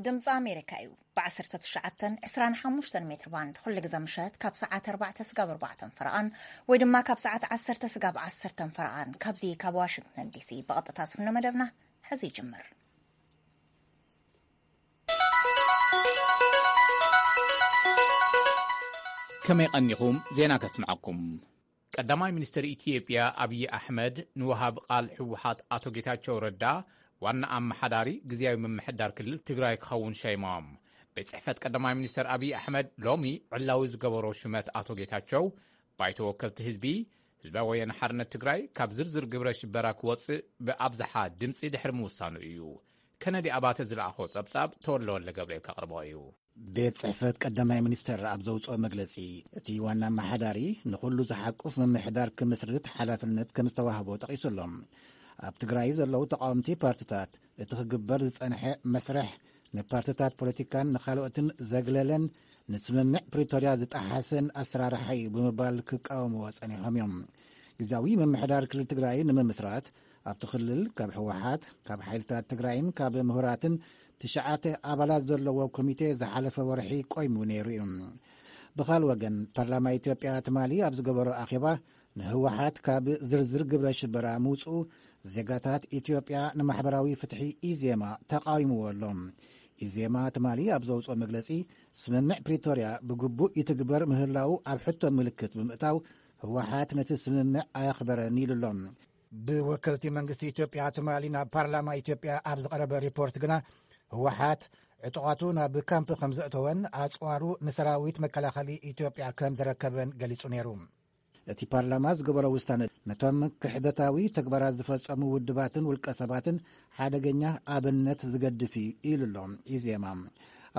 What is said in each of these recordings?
ድምፂ ኣሜሪካ እዩ። ብ19 25 ሜትር ባንድ ኩሉ ግዜ ምሸት ካብ ሰዓት ኣርባዕተ ስጋብ ኣርባዕተ ፈረቓን ወይ ድማ ካብ ሰዓት ዓሰርተ ስጋብ ዓሰርተ ፈረቓን ካብዚ ካብ ዋሽንግተን ዲሲ ብቐጥታ ዝፍኖ መደብና ሕዚ ይጅምር። ከመይ ቀኒኹም? ዜና ከስምዓኩም። ቀዳማይ ሚኒስትር ኢትዮጵያ ኣብይ ኣሕመድ ንወሃብ ቃል ህወሓት ኣቶ ጌታቸው ረዳ ዋና ኣመሓዳሪ ግዝያዊ ምምሕዳር ክልል ትግራይ ክኸውን ሸይሞም። ቤት ጽሕፈት ቀዳማይ ሚኒስትር ኣብይ ኣሕመድ ሎሚ ዕላዊ ዝገበሮ ሹመት ኣቶ ጌታቸው፣ ባይቶ ወከልቲ ህዝቢ፣ ህዝባዊ ወያነ ሓርነት ትግራይ ካብ ዝርዝር ግብረ ሽበራ ክወጽእ ብኣብዝሓ ድምጺ ድሕሪ ምውሳኑ እዩ። ከነዲ ኣባተ ዝለኣኾ ጸብጻብ ተወልደ ወልደ ገብርኤል ከቕርቦ እዩ። ቤት ጽሕፈት ቀዳማይ ሚኒስተር ኣብ ዘውጽኦ መግለጺ፣ እቲ ዋና ኣመሓዳሪ ንኹሉ ዝሓቁፍ ምምሕዳር ክምስርት ሓላፍነት ከም ዝተዋህቦ ጠቒሱ ኣሎ። ኣብ ትግራይ ዘለዉ ተቓወምቲ ፓርትታት፣ እቲ ክግበር ዝጸንሐ መስርሕ ንፓርትታት ፖለቲካን ንኻልኦትን ዘግለለን ንስምምዕ ፕሪቶርያ ዝጠሓሰን ኣሰራርሓ እዩ ብምባል ክቃወምዎ ጸኒሖም እዮም። ግዝያዊ ምምሕዳር ክልል ትግራይ ንምምስራት ኣብቲ ክልል ካብ ህወሓት፣ ካብ ሓይልታት ትግራይን ካብ ምሁራትን ትሽዓተ ኣባላት ዘለዎ ኮሚቴ ዝሓለፈ ወርሒ ቆይሙ ነይሩ እዩ። ብኻል ወገን፣ ፓርላማ ኢትዮጵያ ትማሊ ኣብ ዝገበሮ ኣኼባ ንህወሓት ካብ ዝርዝር ግብረ ሽበራ ምውፅኡ ዜጋታት ኢትዮጵያ ንማሕበራዊ ፍትሒ ኢዜማ ተቃዊምዎ ኣሎ። ኢዜማ ትማሊ ኣብ ዘውፅኦ መግለፂ፣ ስምምዕ ፕሪቶርያ ብግቡእ ይትግበር ምህላው ኣብ ሕቶ ምልክት ብምእታው፣ ህወሓት ነቲ ስምምዕ ኣየኽበረን ኢሉ ኣሎ። ብወከልቲ መንግስቲ ኢትዮጵያ ትማሊ ናብ ፓርላማ ኢትዮጵያ ኣብ ዝቐረበ ሪፖርት ግና፣ ህወሓት ዕጡቓቱ ናብ ካምፕ ከም ዘእተወን ኣጽዋሩ ንሰራዊት መከላኸሊ ኢትዮጵያ ከም ዘረከበን ገሊጹ ነይሩ። እቲ ፓርላማ ዝገበሮ ውሳነ ነቶም ክሕደታዊ ተግባራት ዝፈጸሙ ውድባትን ውልቀ ሰባትን ሓደገኛ ኣብነት ዝገድፍ እዩ ኢሉ ኣሎ ኢዜማ።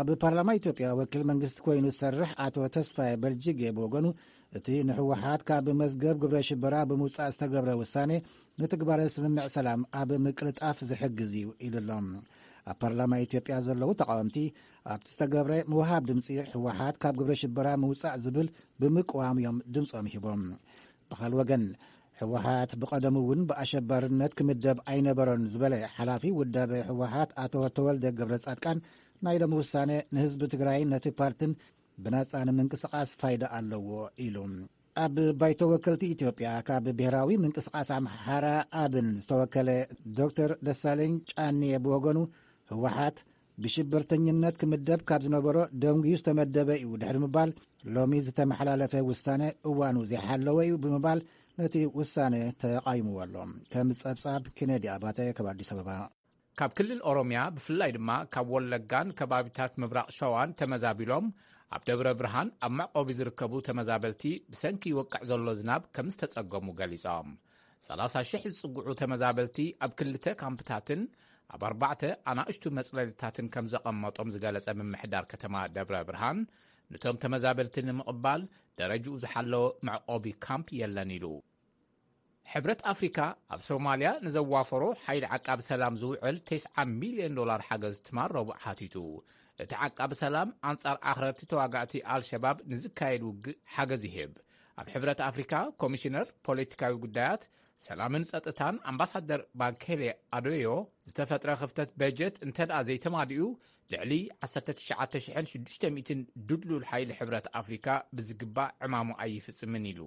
ኣብ ፓርላማ ኢትዮጵያ ወኪል መንግስቲ ኮይኑ ዝሰርሕ ኣቶ ተስፋዬ በልጅጌ ብወገኑ፣ እቲ ንህወሓት ካብ መዝገብ ግብረ ሽበራ ብምውጻእ ዝተገብረ ውሳኔ ንትግባረ ስምምዕ ሰላም ኣብ ምቅልጣፍ ዝሕግዝ እዩ ኢሉ ኣሎ። ኣብ ፓርላማ ኢትዮጵያ ዘለዉ ተቃወምቲ፣ ኣብቲ ዝተገብረ ምውሃብ ድምፂ ህወሓት ካብ ግብረ ሽበራ ምውጻእ ዝብል ብምቅዋም እዮም ድምፆም ሂቦም። ብኻል ወገን፣ ህወሓት ብቐደሙ እውን ብኣሸባርነት ክምደብ ኣይነበሮን ዝበለ ሓላፊ ውዳበ ህወሓት ኣቶ ተወልደ ገብረ ጻድቃን፣ ናይ ሎሚ ውሳነ ንህዝቢ ትግራይን ነቲ ፓርትን ብናጻ ንምንቅስቓስ ፋይዳ ኣለዎ ኢሉ። ኣብ ባይቶ ወከልቲ ኢትዮጵያ ካብ ብሔራዊ ምንቅስቃስ ኣምሓራ ኣብን ዝተወከለ ዶክተር ደሳለኝ ጫኔ ብወገኑ፣ ህወሓት ብሽብርተኝነት ክምደብ ካብ ዝነበሮ ደንጉዩ ዝተመደበ እዩ ድሕሪ ምባል፣ ሎሚ ዝተመሓላለፈ ውሳነ እዋኑ ዘይሓለወ እዩ ብምባል ነቲ ውሳነ ተቓይምዎ ኣሎ። ከም ጸብጻብ ኬነዲ ኣባተ ካብ ኣዲስ ኣበባ። ካብ ክልል ኦሮምያ፣ ብፍላይ ድማ ካብ ወለጋን ከባቢታት ምብራቕ ሸዋን ተመዛቢሎም ኣብ ደብረ ብርሃን ኣብ መዕቆቢ ዝርከቡ ተመዛበልቲ፣ ብሰንኪ ይወቅዕ ዘሎ ዝናብ ከም ዝተጸገሙ ገሊጾም። ሰላሳ ሽሕ ዝጽግዑ ተመዛበልቲ ኣብ ክልተ ካምፕታትን ኣብ ኣርባዕተ ኣናእሽቱ መጽለሊታትን ከም ዘቐመጦም ዝገለጸ ምምሕዳር ከተማ ደብረ ብርሃን፣ ንቶም ተመዛበልቲ ንምቕባል ደረጅኡ ዝሓለወ መዕቆቢ ካምፕ የለን ኢሉ። ሕብረት ኣፍሪካ ኣብ ሶማልያ ንዘዋፈሮ ሓይሊ ዓቃቢ ሰላም ዝውዕል ተስዓ ሚልዮን ዶላር ሓገዝ ትማል ረቡዕ ሓቲቱ። እቲ ዓቃቢ ሰላም ኣንጻር ኣኽረርቲ ተዋጋእቲ ኣልሸባብ ንዝካየድ ውግእ ሓገዝ ይህብ። ኣብ ሕብረት ኣፍሪካ ኮሚሽነር ፖለቲካዊ ጉዳያት፣ ሰላምን ጸጥታን ኣምባሳደር ባንኬሌ ኣዶዮ፣ ዝተፈጥረ ክፍተት በጀት እንተደኣ ዘይተማሊኡ፣ ልዕሊ ዓሰርተ ትሽዓተ ሽሕን ሽዱሽተ ሚእትን ድልዱል ሓይሊ ሕብረት ኣፍሪካ ብዝግባእ ዕማሙ ኣይፍጽምን ኢሉ።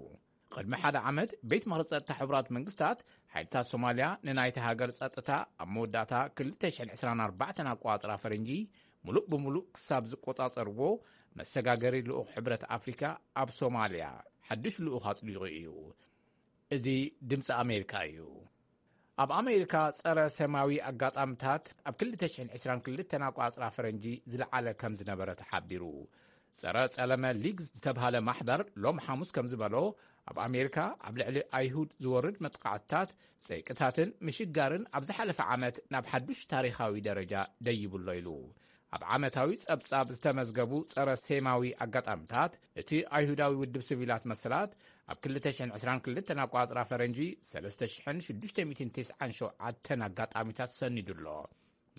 ቅድሚ ሓደ ዓመት፣ ቤት ምኽሪ ጸጥታ ሕቡራት መንግስታት፣ ሓይልታት ሶማልያ ንናይታ ሃገር ጸጥታ ኣብ መወዳእታ ክልተ ሽሕን ዕስራን ኣርባዕተን ኣቆጻጽራ ፈረንጂ ምሉእ ብምሉእ ክሳብ ዝቆጻጸርዎ፣ መሰጋገሪ ልኡኽ ሕብረት ኣፍሪካ ኣብ ሶማልያ ሓድሽ ልኡኽ ኣጽዲቑ እዩ። እዚ ድምፂ ኣሜሪካ እዩ። ኣብ ኣሜሪካ፣ ጸረ ሰማያዊ ኣጋጣምታት ኣብ ክልተ ሽሕን ዕስራን ክልተን ኣቆጻጽራ ፈረንጂ ዝለዓለ ከም ዝነበረ ተሓቢሩ። ጸረ ጸለመ ሊግ ዝተብሃለ ማሕበር ሎም ሓሙስ ከም ዝበሎ፣ ኣብ ኣሜሪካ ኣብ ልዕሊ ኣይሁድ ዝወርድ መጥቃዕትታት፣ ጸይቅታትን ምሽጋርን ኣብ ዝሓለፈ ዓመት ናብ ሓዱሽ ታሪኻዊ ደረጃ ደይብሎ ኢሉ። ኣብ ዓመታዊ ጸብጻብ ዝተመዝገቡ ጸረ ሴማዊ ኣጋጣምታት፣ እቲ ኣይሁዳዊ ውድብ ሲቪላት መሰላት ኣብ ክልተ ሽሕን ዕስራን ክልተን ኣቆጻጽራ ፈረንጂ ሰለስተ ሽሕን ሽዱሽተ ሚእትን ተስዓን ሸውዓተን ኣጋጣሚታት ሰኒዱ ኣሎ።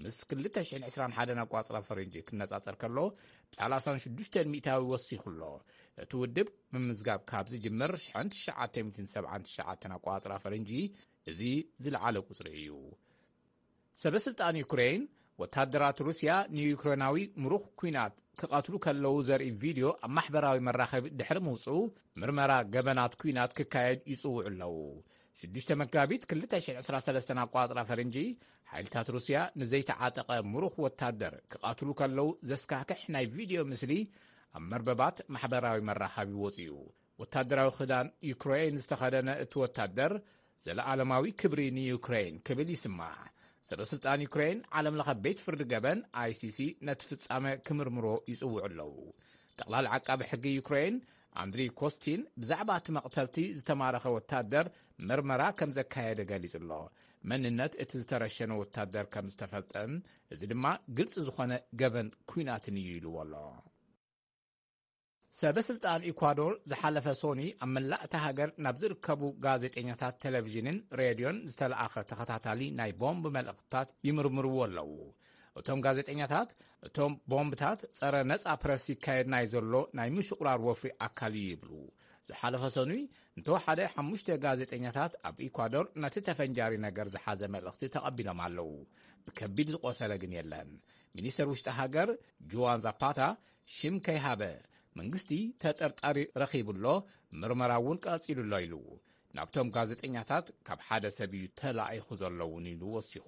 ምስ ክልተ ሽሕን ዕስራን ሓደን ኣቆጻጽራ ፈረንጂ ክነጻጸር ከሎ፣ ብሰላሳን ሽዱሽተን ሚእታዊ ወሲኹ ኣሎ። እቲ ውድብ ምምዝጋብ ካብ ዝጅምር ሽሕን ትሽዓተ ሚእትን ሰብዓን ትሽዓተን ኣቆጻጽራ ፈረንጂ፣ እዚ ዝለዓለ ቁጽሪ እዩ። ሰበ ስልጣን ዩክሬን፣ ወታደራት ሩስያ ንዩክሬናዊ ምሩኽ ኲናት ክቐትሉ ከለዉ ዘርኢ ቪድዮ ኣብ ማሕበራዊ መራኸቢ ድሕሪ ምውጽኡ፣ ምርመራ ገበናት ኲናት ክካየድ ይጽውዑ ኣለዉ። ሽዱሽተ መጋቢት ክልተ ሽሕ ዕስራ ሰለስተን ኣቋጽራ ፈረንጂ፣ ሓይልታት ሩስያ ንዘይተዓጠቐ ምሩኽ ወታደር ክቐትሉ ከለዉ ዘስካሕክሕ ናይ ቪድዮ ምስሊ ኣብ መርበባት ማሕበራዊ መራኸቢ ወጺኡ። ወታደራዊ ክዳን ዩክሬን ዝተኸደነ እቲ ወታደር፣ "ዘለኣለማዊ ክብሪ ንዩክሬን" ክብል ይስማዕ። ሰበ ስልጣን ዩክሬን፣ ዓለም ለኸ ቤት ፍርዲ ገበን፣ ኣይሲሲ፣ ነቲ ፍጻመ ክምርምሮ ይጽውዑ ኣለዉ። ጠቕላሊ ዓቃቢ ሕጊ ዩክሬን፣ ኣንድሪ ኮስቲን፣ ብዛዕባ እቲ መቕተልቲ ዝተማረኸ ወታደር ምርመራ ከም ዘካየደ ገሊጹ ኣሎ። መንነት እቲ ዝተረሸነ ወታደር ከም ዝተፈልጠን፣ እዚ ድማ ግልጺ ዝኾነ ገበን ኲናትን እዩ ኢልዎ ኣሎ። ሰበ ስልጣን ኢኳዶር ዝሓለፈ ሶኒ ኣብ መላእ እታ ሃገር ናብ ዝርከቡ ጋዜጠኛታት ቴሌቪዥንን ሬድዮን ዝተለኣኸ ተኸታታሊ ናይ ቦምብ መልእኽትታት ይምርምርዎ ኣለዉ። እቶም ጋዜጠኛታት፣ እቶም ቦምብታት ጸረ ነጻ ፕረስ ይካየድ ናይ ዘሎ ናይ ምሽቑራር ወፍሪ ኣካል እዩ ይብሉ። ዝሓለፈ ሰኑይ እንተወሓደ ሓሙሽተ ጋዜጠኛታት ኣብ ኢኳዶር ነቲ ተፈንጃሪ ነገር ዝሓዘ መልእኽቲ ተቐቢሎም ኣለዉ። ብከቢድ ዝቖሰለ ግን የለን። ሚኒስተር ውሽጢ ሃገር ጁዋን ዛፓታ ሽም ከይሃበ፣ "መንግስቲ ተጠርጣሪ ረኺቡ ኣሎ፣ ምርመራ እውን ቀጺሉ ኣሎ" ኢሉ። ናብቶም ጋዜጠኛታት ካብ ሓደ ሰብ እዩ ተላኢኹ ዘሎ እውን ኢሉ ወሲኹ።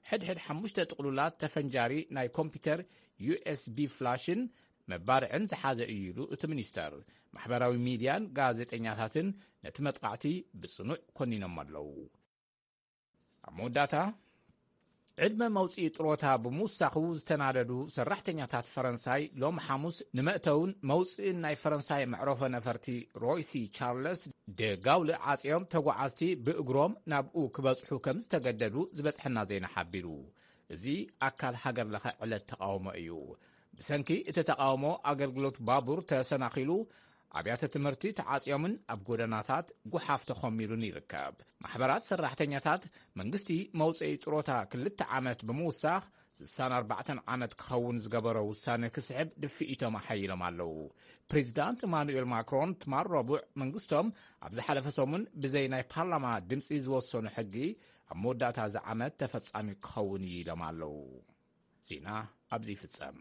ሕድሕድ ሓሙሽተ ጥቕሉላት ተፈንጃሪ ናይ ኮምፒውተር፣ ዩ ኤስ ቢ ፍላሽን መባርዕን ዝሓዘ እዩ ኢሉ እቲ ሚኒስተር። ማሕበራዊ ሚድያን ጋዜጠኛታትን ነቲ መጥቃዕቲ ብጽኑዕ ኮኒኖም ኣለዉ። ኣብ መወዳእታ፣ ዕድመ መውጽኢ ጥሮታ ብምውሳኹ ዝተናደዱ ሰራሕተኛታት ፈረንሳይ ሎም ሓሙስ ንመእተውን መውጽእን ናይ ፈረንሳይ መዕረፎ ነፈርቲ ሮይሲ ቻርለስ ደ ጋውል ዓጽዮም ተጓዓዝቲ ብእግሮም ናብኡ ክበጽሑ ከም ዝተገደዱ ዝበጽሐና ዜና ሓቢሩ። እዚ ኣካል ሃገር ለኸ ዕለት ተቃውሞ እዩ። ብሰንኪ እቲ ተቃውሞ ኣገልግሎት ባቡር ተሰናኺሉ፣ ኣብያተ ትምህርቲ ተዓጽዮምን ኣብ ጎደናታት ጉሓፍ ተኾሚሩን ይርከብ። ማሕበራት ሰራሕተኛታት መንግስቲ መውጽኢ ጥሮታ ክልተ ዓመት ብምውሳኽ ስሳን ኣርባዕተን ዓመት ክኸውን ዝገበሮ ውሳነ ክስሕብ ድፍኢቶም ኣሓይሎም ኣለዉ። ፕሬዚዳንት ኢማኑኤል ማክሮን ትማል ረቡዕ መንግስቶም ኣብ ዝሓለፈ ሰሙን ብዘይ ናይ ፓርላማ ድምፂ ዝወሰኑ ሕጊ ኣብ መወዳእታ እዚ ዓመት ተፈጻሚ ክኸውን እዩ ኢሎም ኣለዉ። ዜና ኣብዚ ይፍጸም።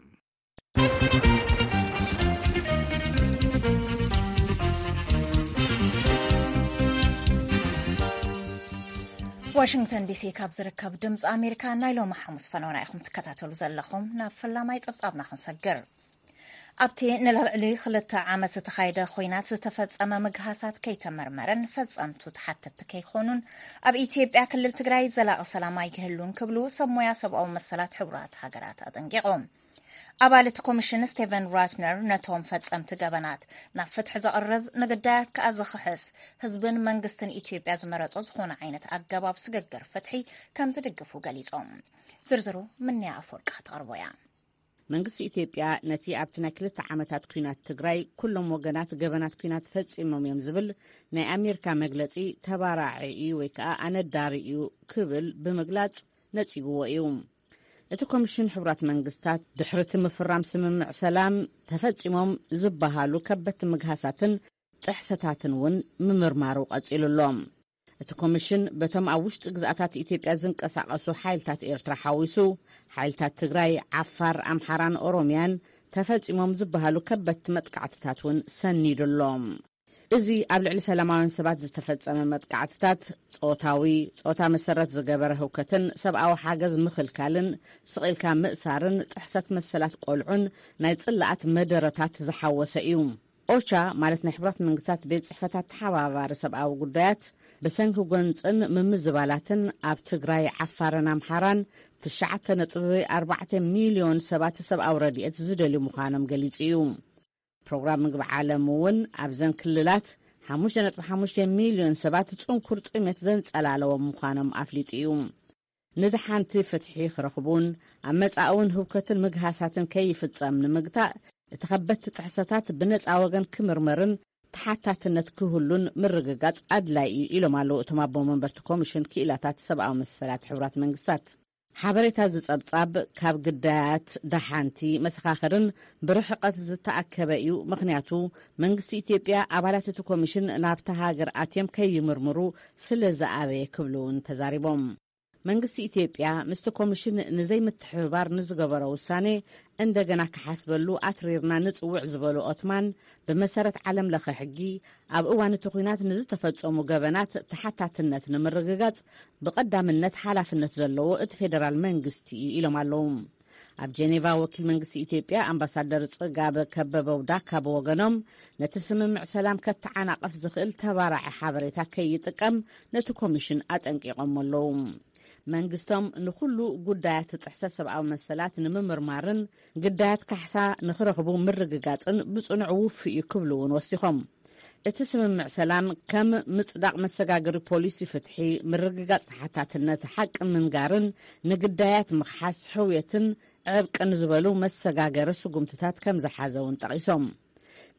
ዋሽንግተን ዲሲ ካብ ዝርከብ ድምፂ ኣሜሪካ ናይ ሎሚ ሓሙስ ፈነውና ኢኹም ትከታተሉ ዘለኹም። ናብ ፈላማይ ጸብጻብና ክንሰግር። ኣብቲ ንልዕሊ ክልተ ዓመት ዝተኻየደ ኹናት ዝተፈጸመ ምግሃሳት ከይተመርመረን ፈጸምቱ ተሓተትቲ ከይኾኑን ኣብ ኢትዮጵያ ክልል ትግራይ ዘላቒ ሰላም ኣይክህሉን ክብሉ ሰብ ሞያ ሰብኣዊ መሰላት ሕቡራት ሃገራት ኣጠንቂቖም። ኣባል እቲ ኮሚሽን ስቴቨን ራትነር ነቶም ፈጸምቲ ገበናት ናብ ፍትሒ ዘቕርብ፣ ንግዳያት ከኣ ዝኽሕስ፣ ህዝብን መንግስትን ኢትዮጵያ ዝመረጾ ዝኾነ ዓይነት ኣገባብ ስግግር ፍትሒ ከም ዝድግፉ ገሊጾም። ዝርዝሩ ምንያ ኣፈወርቂ ክትቐርቦ እያ። መንግስቲ ኢትዮጵያ ነቲ ኣብቲ ናይ ክልተ ዓመታት ኲናት ትግራይ ኩሎም ወገናት ገበናት ኲናት ፈጺሞም እዮም ዝብል ናይ ኣሜሪካ መግለጺ ተባራዒ እዩ ወይ ከኣ ኣነዳሪ እዩ ክብል ብምግላጽ ነጺግዎ እዩ። እቲ ኮሚሽን ሕቡራት መንግስታት ድሕሪ እቲ ምፍራም ስምምዕ ሰላም ተፈጺሞም ዝበሃሉ ከበድቲ ምግሃሳትን ጥሕሰታትን እውን ምምርማሩ ቀጺሉ ኣሎ። እቲ ኮሚሽን በቶም ኣብ ውሽጢ ግዝኣታት ኢትዮጵያ ዝንቀሳቐሱ ሓይልታት ኤርትራ ሓዊሱ፣ ሓይልታት ትግራይ፣ ዓፋር፣ ኣምሓራን ኦሮምያን ተፈጺሞም ዝበሃሉ ከበድቲ መጥቃዕትታት እውን ሰኒዱ ኣሎ። እዚ ኣብ ልዕሊ ሰላማውያን ሰባት ዝተፈጸመ መጥቃዕትታት፣ ጾታዊ፣ ጾታ መሰረት ዝገበረ ህውከትን ሰብኣዊ ሓገዝ ምኽልካልን ስቕ ኢልካ ምእሳርን ጥሕሰት መሰላት ቆልዑን ናይ ጽላኣት መደረታት ዝሓወሰ እዩ። ኦቻ፣ ማለት ናይ ሕቡራት መንግስታት ቤት ጽሕፈታት ተሓባባሪ ሰብኣዊ ጉዳያት፣ ብሰንኪ ጎንጽን ምምዝባላትን ኣብ ትግራይ፣ ዓፋርን ኣምሓራን ትሽዓተ ነጥቢ ኣርባዕተ ሚልዮን ሰባት ሰብኣዊ ረድኤት ዝደልዩ ምዃኖም ገሊጹ እዩ። ፕሮግራም ምግቢ ዓለም እውን ኣብዘን ክልላት ሓሙሽተ ነጥቢ ሓሙሽተ ሚልዮን ሰባት ጽንኩር ጥሜት ዘንጸላለዎም ምዃኖም ኣፍሊጡ እዩ። ንድሓንቲ ፍትሒ ክረኽቡን ኣብ መጻኢ እውን ህውከትን ምግሃሳትን ከይፍጸም ንምግታእ፣ እቲ ከበድቲ ጥሕሰታት ብነጻ ወገን ክምርመርን ተሓታትነት ክህሉን ምርግጋጽ ኣድላይ እዩ ኢሎም ኣለዉ እቶም ኣቦ መንበርቲ ኮሚሽን ክኢላታት ሰብኣዊ መሰላት ሕቡራት መንግስታት። ሓበሬታ ዝጸብጻብ ካብ ግዳያት ደሓንቲ መሰኻኽርን ብርሕቐት ዝተኣከበ እዩ። ምኽንያቱ መንግስቲ ኢትዮጵያ ኣባላት እቲ ኮሚሽን ናብታ ሃገር ኣትዮም ከይምርምሩ ስለ ዝኣበየ ክብሉ እውን ተዛሪቦም። መንግስቲ ኢትዮጵያ ምስቲ ኮሚሽን ንዘይምትሕብባር ንዝገበሮ ውሳኔ እንደገና ክሓስበሉ ኣትሪርና ንጽውዕ ዝበሉ ኦትማን፣ ብመሰረት ዓለም ለኸ ሕጊ ኣብ እዋን እቲ ኲናት ንዝተፈጸሙ ገበናት ተሓታትነት ንምርግጋጽ ብቐዳምነት ሓላፍነት ዘለዎ እቲ ፌደራል መንግስቲ እዩ ኢሎም ኣለዉ። ኣብ ጀኔቫ ወኪል መንግስቲ ኢትዮጵያ ኣምባሳደር ጽጋበ ከበበው ዳካ ብወገኖም፣ ነቲ ስምምዕ ሰላም ከተዓናቕፍ ዝኽእል ተባራዒ ሓበሬታ ከይጥቀም ነቲ ኮሚሽን ኣጠንቂቖም ኣለዉ። መንግስቶም ንኹሉ ጉዳያት ጥሕሰት ሰብኣዊ መሰላት ንምምርማርን ግዳያት ካሕሳ ንኽረኽቡ ምርግጋጽን ብጽኑዕ ውፉይ እዩ ክብሉ እውን ወሲኾም። እቲ ስምምዕ ሰላም ከም ምጽዳቕ መሰጋገሪ ፖሊሲ ፍትሒ፣ ምርግጋጽ ተሓታትነት፣ ሓቂ ምንጋርን ንግዳያት ምኽሓስ ሕውየትን ዕርቅን ዝበሉ መሰጋገሪ ስጉምትታት ከም ዝሓዘ እውን ጠቒሶም።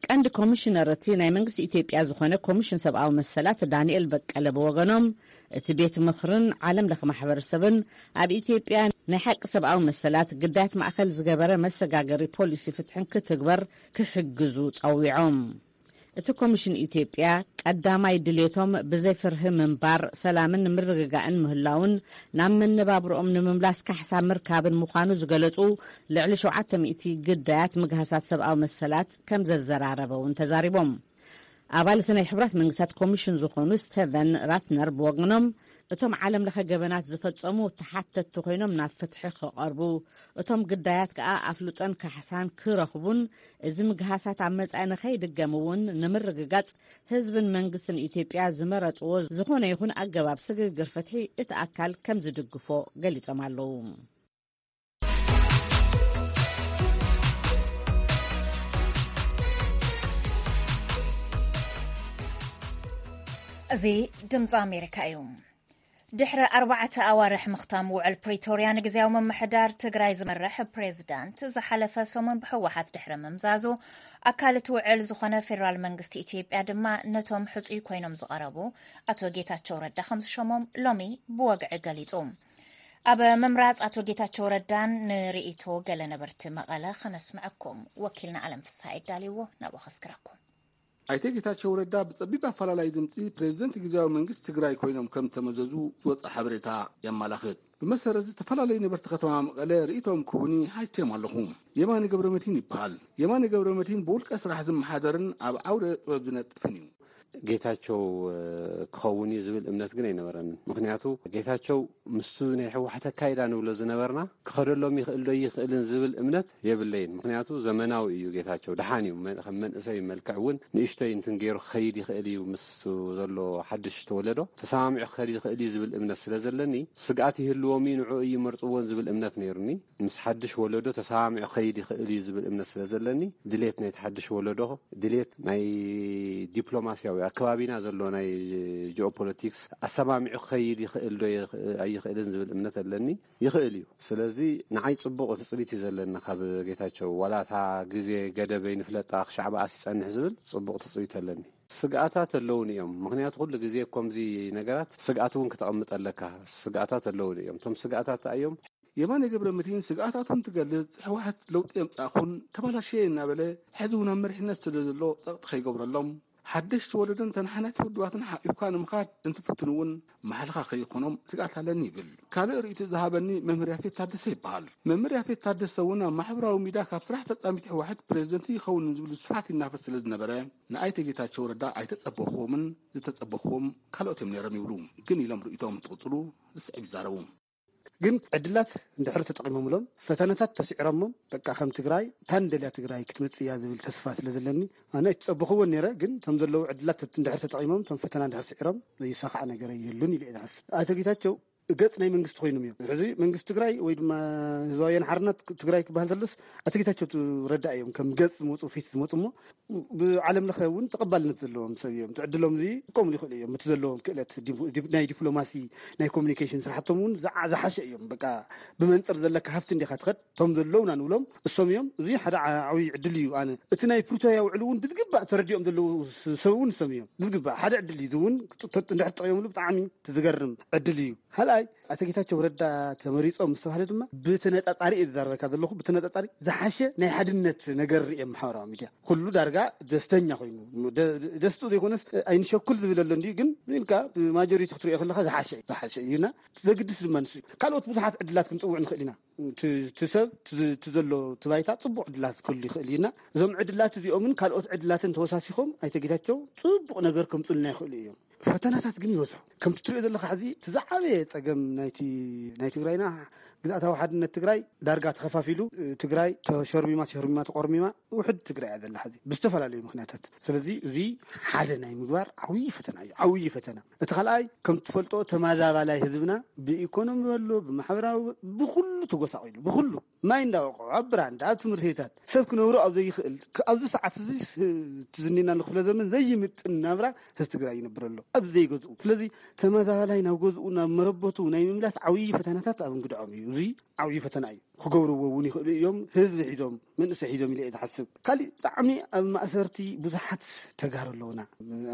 ቀንዲ ኮሚሽነር እቲ ናይ መንግስቲ ኢትዮጵያ ዝኾነ ኮሚሽን ሰብኣዊ መሰላት ዳንኤል በቀለ ብወገኖም፣ እቲ ቤት ምኽርን ዓለም ለኸ ማሕበረሰብን ኣብ ኢትዮጵያ ናይ ሓቂ ሰብኣዊ መሰላት ግዳያት ማእከል ዝገበረ መሰጋገሪ ፖሊሲ ፍትሕን ክትግበር ክሕግዙ ጸዊዖም። እቲ ኮሚሽን ኢትዮጵያ ቀዳማይ ድሌቶም ብዘይ ፍርሂ ምንባር፣ ሰላምን ምርግጋእን ምህላውን ናብ መነባብሮኦም ንምምላስ ካሕሳ ምርካብን ምዃኑ ዝገለጹ ልዕሊ ሸውዓተ ሚእቲ ግዳያት ምግሃሳት ሰብኣዊ መሰላት ከም ዘዘራረበ እውን ተዛሪቦም። ኣባል እቲ ናይ ሕቡራት መንግስታት ኮሚሽን ዝኾኑ ስቴቨን ራትነር ብወገኖም፣ እቶም ዓለም ለኸ ገበናት ዝፈጸሙ ተሓተትቲ ኮይኖም ናብ ፍትሒ ክቐርቡ፣ እቶም ግዳያት ከኣ ኣፍልጦን ካሕሳን ክረኽቡን፣ እዚ ምግሃሳት ኣብ መጻኢ ንኸይድገም እውን ንምርግጋጽ ህዝብን መንግስትን ኢትዮጵያ ዝመረጽዎ ዝኾነ ይኹን ኣገባብ ስግግር ፍትሒ እቲ ኣካል ከም ዝድግፎ ገሊጾም ኣለዉ። እዚ ድምፂ ኣሜሪካ እዩ። ድሕሪ ኣርባዕተ ኣዋርሕ ምኽታም ውዕል ፕሪቶርያ፣ ንግዝያዊ ምምሕዳር ትግራይ ዝመርሕ ፕሬዝዳንት ዝሓለፈ ሰሙን ብህወሓት ድሕሪ ምምዛዙ፣ ኣካል እቲ ውዕል ዝኾነ ፌዴራል መንግስቲ ኢትዮጵያ ድማ ነቶም ሕፁይ ኮይኖም ዝቐረቡ ኣቶ ጌታቸው ረዳ ከም ዝሸሞም ሎሚ ብወግዒ ገሊጹ። ኣብ ምምራፅ ኣቶ ጌታቸው ረዳን ንርእይቶ ገለ ነበርቲ መቐለ ከነስምዐኩም ወኪልና ኣለም ፍስሃ የዳልይዎ፣ ናብኡ ከስግረኩም። ኣይተ ጌታቸው ረዳ ብጸቢብ ኣፈላላይ ድምጺ ፕሬዝደንት ግዝያዊ መንግስቲ ትግራይ ኮይኖም ከም ተመዘዙ ዝወጸ ሓበሬታ የመላኽት። ብመሰረት ዝተፈላለዩ ነበርቲ ከተማ መቐለ ርእይቶኦም ክህቡኒ ሓቲተዮም ኣለኹ። የማነ ገብረመድህን ይበሃል። የማነ ገብረመድህን ብውልቀ ስራሕ ዝመሓደርን ኣብ ዓውደ ጥበብ ዝነጥፍን እዩ። ጌታቸው ክኸውን እዩ ዝብል እምነት ግን ኣይነበረንን። ምኽንያቱ ጌታቸው ምስቲ ናይ ህወሓት ኣካይዳ ንብሎ ዝነበርና ክኸደሎም ይኽእል ዶ ይኽእልን ዝብል እምነት የብለይን። ምኽንያቱ ዘመናዊ እዩ ጌታቸው፣ ደሓን እዩ። መ- ከም መንእሰይ መልክዕ እውን ንእሽተይ እንትን ገይሩ ክኸይድ ይኽእል እዩ፣ ምስ ዘሎ ሓድሽ ተወለዶ ተሰማሚዑ ክኸይድ ይኽእል እዩ ዝብል እምነት ስለ ዘለኒ፣ ስግኣት ይህልዎም እዩ፣ ንዕኡ እዩ መርፅዎን ዝብል እምነት ነይሩኒ። ምስ ሓድሽ ወለዶ ተሰማሚዑ ክኸይድ ይኽእል እዩ ዝብል እምነት ስለ ዘለኒ፣ ድሌት ናይቲ ሓድሽ ወለዶ፣ ድሌት ናይ ዲፕሎማስያዊ ኣከባቢና ዘሎ ናይ ጂኦፖለቲክስ ኣሰማሚዑ ክኸይድ ይኽእል ዶ ይኽ- ኣይኽእልን ዝብል እምነት ኣለኒ። ይኽእል እዩ። ስለዚ ንዓይ ጽቡቕ ትጽቢት እዩ ዘለና ካብ ጌታቸው። ዋላ እታ ግዜ ገደብ ኣይንፍለጣ፣ ክሻዕ ብኣስ ይጸንሕ ዝብል ጽቡቕ ትጽቢት ኣለኒ። ስግኣታት ኣለውን እዮም። ምኽንያቱ ኩሉ ግዜ ከምዚ ነገራት ስግኣት እውን ክተቐምጥ ኣለካ። ስግኣታት ኣለውን እዮም። እቶም ስግኣታት እዮም። የማነ ገብረ መድህን ስግኣታቱ እንትገልጽ፣ ህወሓት ለውጢ የምጻእኹን ተባላሸየ እናበለ፣ ሕዚ እውን ኣብ መሪሕነት ስለ ዘሎ ጸቕጢ ከይገብረሎም፣ ሓደሽቲ ወለዶን ተነሓናሕቲ ውድባትን ሓቂፍካ ንምኻድ እንትፍትኑ እውን ማሕልኻ ከይኾኖም ስግኣት ኣለኒ ይብል። ካልእ ርእይቶ ዝሃበኒ መምህር ያፌት ታደሰ ይበሃል። መምህር ያፌት ታደሰ እውን ኣብ ማሕበራዊ ሚድያ ካብ ስራሕ ፈጻሚት ህወሓት ፕሬዝደንት ይኸውን ዝብል ስፍሓት ይናፈስ ስለ ዝነበረ፣ ንኣይተ ጌታቸው ረዳ ኣይተጸበኹዎምን፣ ዝተጸበኹዎም ካልኦት እዮም ነይሮም ይብሉ። ግን ኢሎም ርእይቶኦም እንትቕጽሉ ዝስዕብ ይዛረቡ። ግን ዕድላት እንድሕር ተጠቒሞምሎም፣ ፈተነታት ተስዒሮሞም፣ በቃ ከም ትግራይ፣ እታ ንደልያ ትግራይ ክትመጽእ እያ ዝብል ተስፋ ስለ ዘለኒ፣ ኣነ ኣይተጸበኹዎን ነይረ። ግን እቶም ዘለዉ ዕድላት እንድሕር ተጠቒሞም፣ እቶም ፈተና እንድሕር ስዒሮም፣ ዘይሳኻዕ ነገር የሉን ኢለ እየ ዝሓስብ። ኣቶ ጌታቸው ገጽ ናይ መንግስቲ ኮይኖም እዮም። ሕዚ መንግስቲ ትግራይ ወይ ድማ ህዝባዊ ወያነ ሓርነት ትግራይ ክበሃል ተሎስ፣ ኣቶ ጌታቸው ረዳ እዮም ከም ገጽ ዝመፁ፣ ፊት ዝመፁ እሞ፣ ብዓለም ለኸ እውን ተቐባልነት ዘለዎም ሰብ እዮም። እቲ ዕድሎም እዚ ክጥቀሙሉ ይኽእሉ እዮም። እቲ ዘለዎም ክእለት ዲፕ- ዲፕ- ናይ ዲፕሎማሲ፣ ናይ ኮሚኒኬሽን ስራሕቶም እውን ዝዓ- ዝሓሸ እዮም። በቃ ብመንፅር ዘለካ ሃፍቲ እንዲኻ ትኸድ። እቶም ዘለውና ንብሎም እሶም እዮም። እዚ ሓደ ዓ- ዓብዪ ዕድል እዩ። ኣነ እቲ ናይ ፕሪቶርያ ውዕል እውን ብዝግባእ ተረዲኦም ዘለዉ ስ- ሰብ እውን እሶም እዮም። ብዝግባእ ሓደ ዕድል እዩ። እዚ እውን ጥ- ጥ- እንድሕር ተጠቒሞምሉ ብጣዕሚ እቲ ዝገርም ዕድል እዩ። ካልኣይ፣ ኣቶ ጌታቸው ረዳ ተመሪጾም ምስ ተባህለ ድማ ብተነጻጻሪ እየ ዝዛረበካ ዘለኹ። ብተነጻጻሪ ዝሓሸ ናይ ሓድነት ነገር ርእየ ማሕበራዊ ሚድያ። ኩሉ ዳርጋ ደስተኛ ኮይኑ፣ ደ-፣ ደስትኡ ዘይኮነስ ኣይንሸኩል ዝብል ኣሎ እንድዩ፣ ግን ኢልካ ብማጆሪቲ ክትሪኦ ከለኻ ዝሓሸ እዩ፣ ዝሓሸ እዩና ዘግድስ ድማ ንሱ እዩ። ካልኦት ብዙሓት ዕድላት ክንጽውዕ ንኽእል ኢና። እቲ፣ እቲ ሰብ፣ እቲ ዝ-፣ እቲ ዘሎ፣ እቲ ባይታ ጽቡቕ ዕድላት ክህሉ ይኽእል እዩና እዞም ዕድላት እዚኦምን ካልኦት ዕድላትን ተወሳሲኾም ኣይተ ጌታቸው ጽቡቕ ነገር ከምጽኡልና ይኽእሉ እዮም። ፈተናታት ግን ይበዝሑ። ከምቲ ትሪኦ ዘለኻ ሕዚ እቲ ዝዓበየ ጸገም ናይቲ፣ ናይ ትግራይና ግዝኣታዊ ሓድነት ትግራይ ዳርጋ ተኸፋፊሉ፣ ትግራይ ተሸርሚማ፣ ተሸርሚማ፣ ተቆርሚማ፣ ውሕድ ትግራይ እያ ዘላ ሕዚ ብዝተፈላለዩ ምኽንያታት። ስለዚ እዚ ሓደ ናይ ምግባር ዓብዪ ፈተና እዩ፣ ዓብዪ ፈተና። እቲ ካልኣይ ከም ትፈልጦ ተመዛባላይ ህዝብና ብኢኮኖሚ በሎ፣ ብማሕበራዊ፣ ብኹሉ ተጎሳቒሉ፣ ብኹሉ ማይ እንዳወቅዑ፣ ኣብ ብራንዳ፣ ኣብ ትምህርቲታት ሰብ ክነብሩ ኣብ ዘይኽእል፣ ክ-፣ ኣብዚ ሰዓት እዚ ስ-፣ እቲ ዝኒና ንክፍለ ዘመን ዘይምጥን ናብራ ህዝቢ ትግራይ ይነብር ኣሎ፣ ኣብ ዘይገዝኡ። ስለዚ ተመዛባላይ ናብ ገዝኡ፣ ናብ መረበቱ ናይ ምምላስ ዓብዪ ፈተናታት ኣብ እንግድዖም እዩ። እዚ ዓብዪ ፈተና እዩ። ክገብርዎ እውን ይኽእሉ እዮም። ህዝቢ ሒዞም፣ መንእሰይ ሒዞም ኢለ እየ ዝሓስብ። ካሊእ ብጣዕሚ ኣብ ማእሰርቲ ብዙሓት ተጋሩ ኣለውና።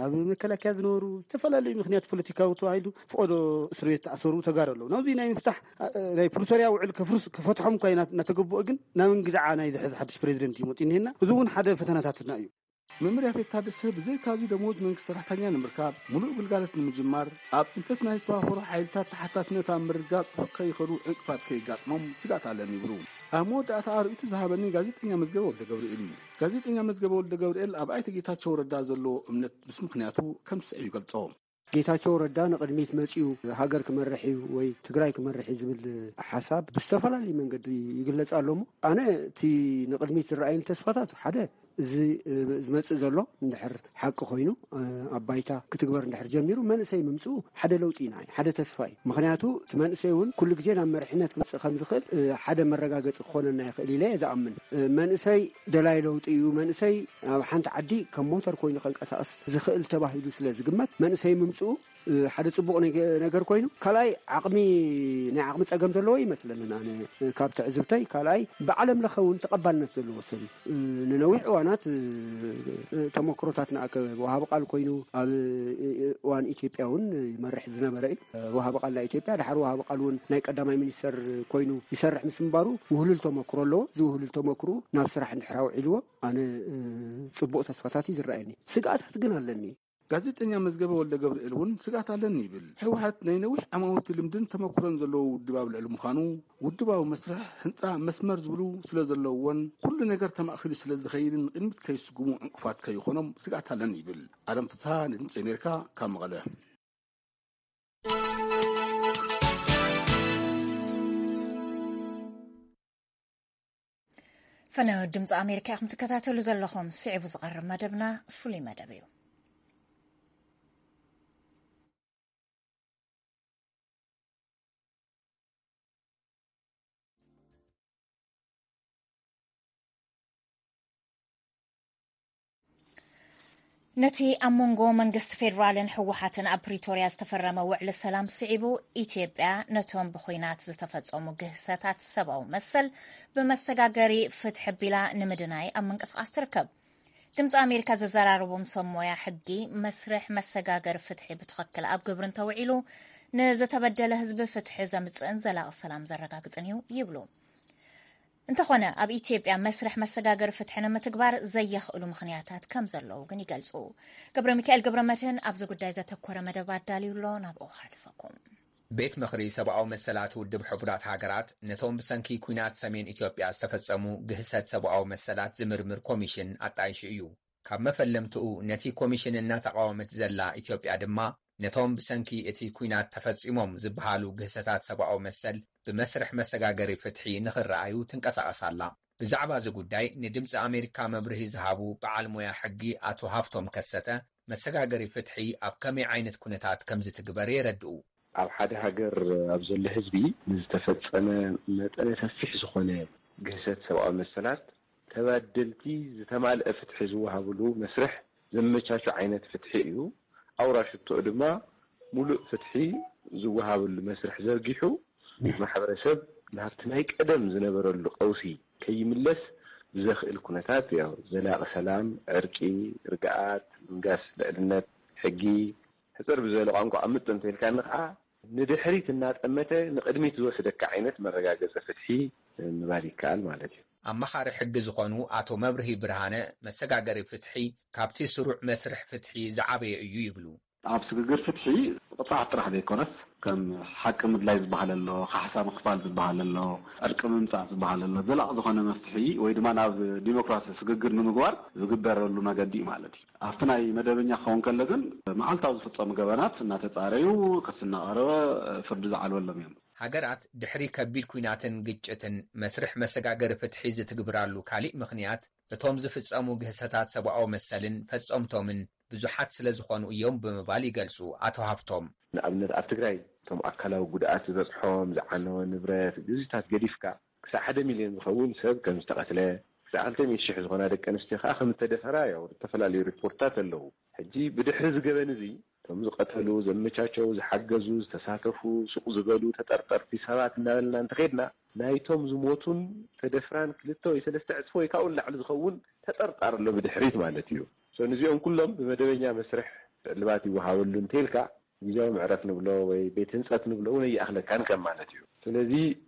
ኣብ መከላከያ ዝነበሩ፣ ዝተፈላለዩ ምኽንያት ፖለቲካዊ ተባሂሉ ፍቆዶ እስር ቤት ተኣሰሩ ተጋሩ ኣለዉ። ናብዚ ናይ ምፍታሕ፣ እ፣ ናይ ፕሪቶርያ ውዕል ከፍርስ-፣ ክፈትሖም እኳ ኢና-፣ እናተገበኦ፣ ግን ናብ እንግድዓ ናይ ዝሕዝ ሓድሽ ፕሬዚደንት እዩ መፂኡ እኒሀና። እዚ እውን ሓደ ፈተናታትና እዩ። መምርያ ቤት ታደሰ ብዘይካዚ ደሞዝ መንግስቲ ሰራሕተኛ ንምርካብ፣ ሙሉእ ግልጋሎት ንምጅማር፣ ኣብ ፅንተት ናይ ዝተዋፈሩ ሓይልታት ተሓታትነት ኣብ ምርግጋፅ ርሑቕ ከይኸዱ ዕንቅፋት ከይጋጥሞም ስጋት ኣለኒ ይብሉ። ኣብ መወዳእታ ኣርእይቱ ዝሃበኒ ጋዜጠኛ መዝገበ ወልደ ገብርኤል እዩ። ጋዜጠኛ መዝገበ ወልደ ገብርኤል ኣብ ኣይተ ጌታቸው ረዳ ዘለዎ እምነት ምስ ምኽንያቱ ከም ዝስዕብ ይገልጾ። ጌታቸው ረዳ ንቕድሚት መጺኡ ሃገር ክመርሕ እዩ ወይ ትግራይ ክመርሕ እዩ ዝብል ሓሳብ ብዝተፈላለየ መንገዲ ይግለጽ ኣሎ እሞ፣ ኣነ እቲ ንቕድሚት ዝረኣየኒ ተስፋታት ሓደ እዚ፣ እ፣ ዝመጽእ ዘሎ እንድሕር ሓቂ ኮይኑ፣ እ፣ ኣብ ባይታ ክትግበር እንድሕር ጀሚሩ መንእሰይ ምምጽኡ ሓደ ለውጢ ኢና፣ ሓደ ተስፋ እዩ። ምኽንያቱ እቲ መንእሰይ እውን ኩሉ ግዜ ናብ መሪሕነት ክመጽእ ከም ዝኽእል፣ እ፣ ሓደ መረጋገጺ ክኾነና ይኽእል ኢለ እየ ዝኣምን። እ፣ መንእሰይ ደላይ ለውጢ እዩ። መንእሰይ ኣብ ሓንቲ ዓዲ ከም ሞተር ኮይኑ ከንቀሳቐስ ዝኽእል ተባሂሉ ስለ ዝግመት መንእሰይ ምምጽኡ፣ እ፣ ሓደ ጽቡቕ ነገ-፣ ነገር ኮይኑ፣ ካልኣይ ዓቕሚ፣ ናይ ዓቕሚ ጸገም ዘለዎ ይመስለንን ኣነ፣ እ፣ ካብ ትዕዝብተይ። ካልኣይ ብዓለም ለኸ እውን ተቐባልነት ዘለዎ ሰብ እዩ። እ፣ ንነዊሕ እዋናት፣ እ፣ እ፣ ተመክሮታት ንኣከ ወሃቢ ቃል ኮይኑ ኣብ፣ እ፣ እ፣ እዋን ኢትዮጵያ እውን ይመርሕ ዝነበረ እዩ። እ፣ ወሃቢ ቃል ናይ ኢትዮጵያ፣ ድሓር ወሃቢ ቃል እውን ናይ ቀዳማይ ሚኒስተር ኮይኑ ይሰርሕ ምስ ምንባሩ ውህሉል ተመክሮ ኣለዎ። እዚ ውህሉል ተመክሮ ናብ ስራሕ እንድሕር ኣውዒልዎ ኣነ፣ እ፣ ጽቡቕ ተስፋታት እዩ ዝረኣየኒ። ስግኣታት ግን ኣለኒ። ጋዜጠኛ መዝገበ ወልደ ገብርኤል እውን ስግኣት ኣለኒ ይብል። ህወሓት ናይ ነዊሕ ዓማውቲ ልምድን ተመክሮን ዘለዎ ውድብ ኣብ ልዕሊ ምዃኑ፣ ውድባዊ መስርሕ ህንጻ መስመር ዝብሉ ስለ ዘለውዎን ኩሉ ነገር ተማእኪሉ ስለ ዝኸይድን ንቕድሚት ከይስጉሙ ዕንቅፋት ከይኾኖም ስግኣት ኣለኒ ይብል። ኣለም ፍስሃ ንድምፂ ኣሜሪካ ካብ መቐለ። ፈነወ ድምፂ ኣሜሪካ ኢኹም ትከታተሉ ዘለኹም። ስዒቡ ዝቐርብ መደብና ፍሉይ መደብ እዩ። ነቲ ኣብ መንጎ መንግስቲ ፌዴራልን ህወሓትን ኣብ ፕሪቶርያ ዝተፈረመ ውዕሊ ሰላም ስዒቡ፣ ኢትዮጵያ ነቶም ብኹናት ዝተፈጸሙ ግህሰታት ሰብኣዊ መሰል ብመሰጋገሪ ፍትሒ ኣቢላ ንምድናይ ኣብ ምንቅስቓስ ትርከብ። ድምፂ ኣሜሪካ ዘዘራረቦም ሰብ ሞያ ሕጊ፣ መስርሕ መሰጋገሪ ፍትሒ ብትኽክል ኣብ ግብሪ እንተውዒሉ፣ ንዝተበደለ ህዝቢ ፍትሒ ዘምፅእን ዘላቒ ሰላም ዘረጋግፅን እዩ ይብሉ። እንተኾነ፣ ኣብ ኢትዮጵያ መስርሕ መሰጋገሪ ፍትሒ ንምትግባር ዘየኽእሉ ምኽንያታት ከም ዘለዉ ግን ይገልጹ። ገብረ ሚካኤል ገብረ መድህን ኣብዚ ጉዳይ ዘተኮረ መደብ ኣዳልዩ ኣሎ፣ ናብኡ ከሕልፈኩም። ቤት ምኽሪ ሰብኣዊ መሰላት ውድብ ሕቡራት ሃገራት ነቶም ብሰንኪ ኲናት ሰሜን ኢትዮጵያ ዝተፈጸሙ ግህሰት ሰብኣዊ መሰላት ዝምርምር ኮሚሽን ኣጣይሹ እዩ። ካብ መፈለምትኡ ነቲ ኮሚሽን እናተቓወመት ዘላ ኢትዮጵያ ድማ፣ ነቶም ብሰንኪ እቲ ኲናት ተፈጺሞም ዝበሃሉ ግህሰታት ሰብኣዊ መሰል ብመስርሕ መሰጋገሪ ፍትሒ ንኽረኣዩ ትንቀሳቐስ ኣላ። ብዛዕባ እዚ ጉዳይ ንድምፂ ኣሜሪካ መብርሂ ዝሃቡ በዓል ሞያ ሕጊ ኣቶ ሃብቶም ከሰተ፣ መሰጋገሪ ፍትሒ ኣብ ከመይ ዓይነት ኩነታት ከም ዝትግበር የረድኡ። ኣብ ሓደ ሃገር ኣብ ዘሎ ህዝቢ ንዝተፈጸመ መጠነ ሰፊሕ ዝኾነ ግህሰት ሰብኣዊ መሰላት ተባደልቲ ዝተማልአ ፍትሒ ዝወሃብሉ መስርሕ ዘመቻቹ ዓይነት ፍትሒ እዩ። ኣውራ ሽቶኡ ድማ ሙሉእ ፍትሒ ዝወሃበሉ መስርሕ ዘርጊሑ፣ ማሕበረሰብ ናብቲ ናይ ቀደም ዝነበረሉ ቀውሲ ከይምለስ ብዘኽእል ኩነታት፣ ያው፣ ዘላቒ ሰላም፣ ዕርቂ፣ ርግኣት፣ ምንጋስ ልዕልነት ሕጊ፣ ሕጽር ብዝበለ ቋንቋ ቅምጥ እንተኢልካኒ ከዓ፣ ንድሕሪት እናጠመተ ንቕድሚት ዝወስደካ ዓይነት መረጋገፂ ፍትሒ ምባል ይከኣል ማለት እዩ። ኣማኻሪ ሕጊ ዝኾኑ ኣቶ መብርሂ ብርሃነ፣ መሰጋገሪ ፍትሒ ካብቲ ስሩዕ መስርሕ ፍትሒ ዝዓበየ እዩ ይብሉ። ኣብ ስግግር ፍትሒ ቅፅዓት ጥራሕ ዘይኮነስ፣ ከም ሓቂ ምድላይ ዝበሃል ኣሎ፣ ካሕሳ ምኽፋል ዝበሃል ኣሎ፣ ዕርቂ ምምፃእ ዝበሃል ኣሎ። ዘላቂ ዝኾነ መፍትሒ ወይ ድማ ናብ ዲሞክራሲ ስግግር ንምግባር ዝግበረሉ መገዲ እዩ ማለት እዩ። ኣብቲ ናይ መደበኛ ክኸውን ከሎ ግን፣ መዓልታዊ ዝፍፀሙ ገበናት እናተፃረዩ፣ ክሲ እናቐረበ ፍርዲ ዝዓልበሎም እዮም። ሃገራት ድሕሪ ከቢድ ኲናትን ግጭትን መስርሕ መሰጋገሪ ፍትሒ ዝትግብራሉ ካሊእ ምኽንያት፣ እቶም ዝፍጸሙ ግህሰታት ሰብኣዊ መሰልን ፈጸምቶምን ብዙሓት ስለ ዝኾኑ እዮም ብምባል ይገልጹ ኣቶ ሃፍቶም። ንኣብነት ኣብ ትግራይ እቶም ኣካላዊ ጉድኣት ዝበጽሖም፣ ዝዓነወ ንብረት፣ ግዜታት ገዲፍካ ክሳብ ሓደ ሚልዮን ዝኸውን ሰብ ከም ዝተቐትለ፣ ክሳብ ክልተ ሚእቲ ሽሕ ዝኾና ደቂ ኣንስትዮ ከኣ ከም ዝተደፈራ ያው ዝተፈላለዩ ሪፖርትታት ኣለዉ። ሕጂ ብድሕሪ እዚ ገበን እዚ እቶም ዝቐተሉ፣ ዘመቻቸው፣ ዝሓገዙ፣ ዝተሳተፉ፣ ሱቕ ዝበሉ ተጠርጠርቲ ሰባት እናበልና እንተኸድና፣ ናይቶም ዝሞቱን ተደፍራን ክልተ ወይ ሰለስተ ዕጽፎ ወይ ካብኡ ንላዕሊ ዝኸውን ተጠርጣሪ ኣሎ ብድሕሪት ማለት እዩ። So፣ ንዚኦም ኩሎም ብመደበኛ መስርሕ ዕልባት ይወሃበሉ እንተይልካ፣ ግዜያዊ መዕረፍ ንብሎ ወይ ቤት ህንጸት ንብሎ እውን ኣይኣኽለካን ከም ማለት እዩ። ስለዚ